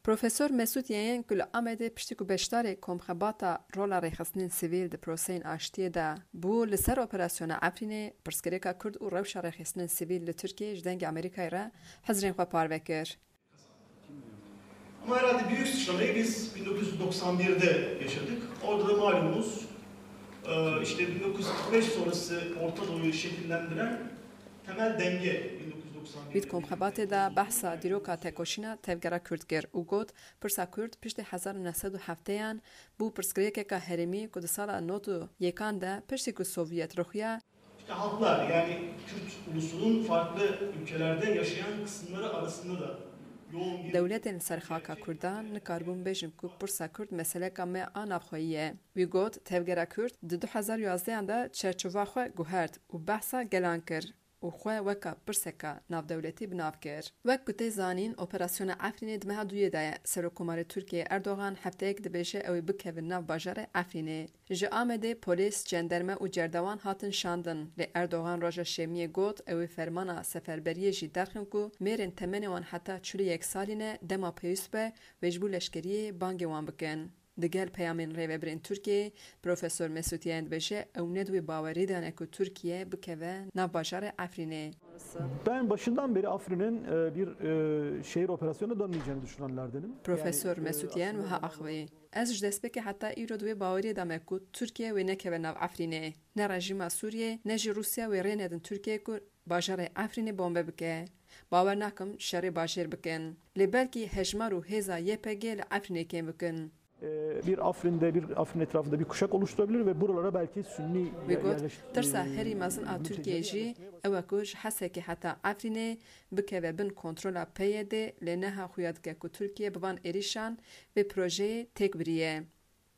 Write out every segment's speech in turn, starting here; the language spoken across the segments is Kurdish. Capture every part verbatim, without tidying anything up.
Profesor Mesûd Yeyen ku li Amedê piştî ku beşdarê komxebata rola rêxistinên sivîl di proseyên aştiyê de bû, li ser operasyona Efrînê, pirsgirêka Kurd û rewşa rêxistinên sivîl li Tirkiyeyê ji Dengê Amerîkayê re hizrên xwe parve kir. Ama herhalde büyük sıçramayı biz bin dokuz yüz doksan birde yaşadık. Orada da malumunuz e, işte bin dokuz yüz kırk beş sonrası Orta Doğu'yu şekillendiren temel denge bin dokuz yüz doksan bir. Wî di komxebatê de behsa dîroka tekoşîna tevgera Kurd kir û got, pirsa Kurd piştî hezar û neh sed û hefteyan bû pirsgirêkeka herêmî ku di sala nod û yekan de piştî ku Sovyet ruxiya, İşte halklar, yani Kürt ulusunun farklı ülkelerde yaşayan kısımları arasında da yoğun bir... Dewletên li ser xaka Kurdan nikaribûn bêjin ku pirsa Kurd meseleka me a navxweyî ye. Wî got, tevgera Kurd di du hezar û yazdehan de çerçova xwe guhert û behsa gelan kir û xwe weka pirseka navdewletî bi nav kir. Wek ku tê zanîn, operasyona Efrînê di meha duyê de ye. Serokkomarê Tirkiyeyê Erdogan hefteyek dibêje ew ê bikevin nav bajarê Efrînê. Ji Amedê polîs, cenderme û cerdewan hatin şandin, lê Erdogan roja şemiyê got, ew ê fermana seferberiyê jî derxin ku mêrên temenê wan heta çil û yek salî ne, dema pêwîst be, wê ji bo leşkeriyê bangê wan bikin. Digel peyamên rêvebirên Tirkiyeyê, Profesor Mesûd Yeyen dibêje, ew ne di wê bawerî de ne ku Tirkiye bikeve nav bajarê Efrînê. Ben başından beri Afrin'in e, bir e, şehir operasyonuna dönmeyeceğini düşünenlerdenim. Profesor e, Mesûd Yeyen wiha axivî, Ez ji destpêkê heta îro di wê baweriyê de me ku Tirkiye wê nekeve nav Efrînê. Ne rejîma Sûriyê, ne jî Rûsya wê rê nedin Tirkiye ku bajarê Efrînê bombe bike. Bawer nakim şerê bajêr bikin. Lê belkî hejmar û hêza Y P G li Efrînê kêm bikin. E, bir Afrin'de, bir Afrin etrafında bir kuşak oluşturabilir ve buralara belki Sünni... Wî got, tirsa herî mezin a Tirkiyeyê jî ew e ku ji Hesekê heta Efrînê bikeve bin kontrola P Y D, lê neha xuya dike ku Tirkiye bi van êrîşan vê projeyê têk biriye.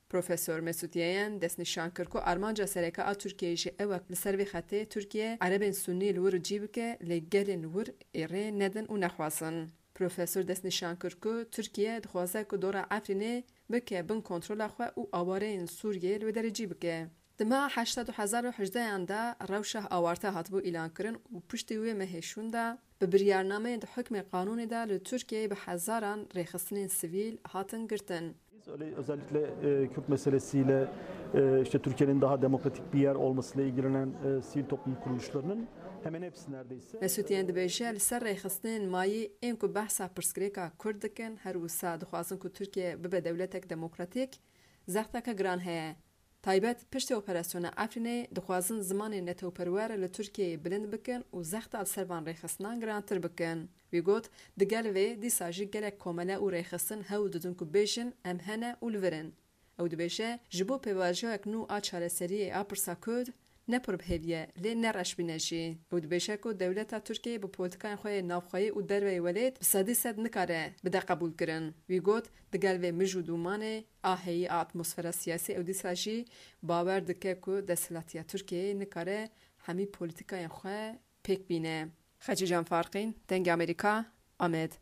Profesor Mesûd Yeyen destnîşan kir ku armanca sereke a Tirkiyeyê jî ew e li ser vê xetê Tirkiye Erebên Sunnî li wir cî bike, lê gelên wir ê rê nedin û nexwazin. Profesor destnîşan kir ku Tirkiye dixwaze ku dora Efrînê bike bin kontrola xwe û awareyên Sûriyê li wê derê cî bike. Di meha heşta du hezar û hejdehan de rewşa awarte hatibû îlankirin û piştî wê mehê şûn de bi biryarnameyên di hukmê qanûnê de li Tirkiyeyê bi hezaran rêxistinên sivîl hatin girtin. Biz öyle, özellikle e, Kürt meselesiyle e, işte Türkiye'nin daha demokratik bir yer olmasıyla ilgilenen e, sivil toplum kuruluşlarının hemen hepsi neredeyse... Mesûd Yeyen dibêje, li ser rêxistinên mayî ên ku behsa pirsgirêka Kurd dikin, her wisa dixwazin ku Tirkiye bibe dewletek demokratîk, zexteke giran heye. Taybet piştî operasyona Efrînê dixwazin zimanê netewperwer li Tirkiyeyê bilind bikin û zexta li ser van rêxistinan girantir bikin. Wî got, digel vê dîsa jî gelek komele û rêxistin hewl didin ku bêjin, em hene û li vir in. Ew dibêje, ji bo pêvajoyek nû a çareseriyê a pirsa Kurd, ne pir bi hêvî ye, lê ne reşbîne jî. Ew dibêje ku dewleta Tirkiyeyê bi polîtikayên xwe yê navxweyî û derveyî welêt bi sedî sed nikare bide qebûlkirin. Wî got, digel vê mij û dûmanê a heyî a atmosfera siyasî ew dîsa jî bawer dike ku desthilatiya Tirkiyeyê nikare hemî polîtikayên xwe pêk bîne. Xecîcan Farqîn, Dengê Amerîka, Amed.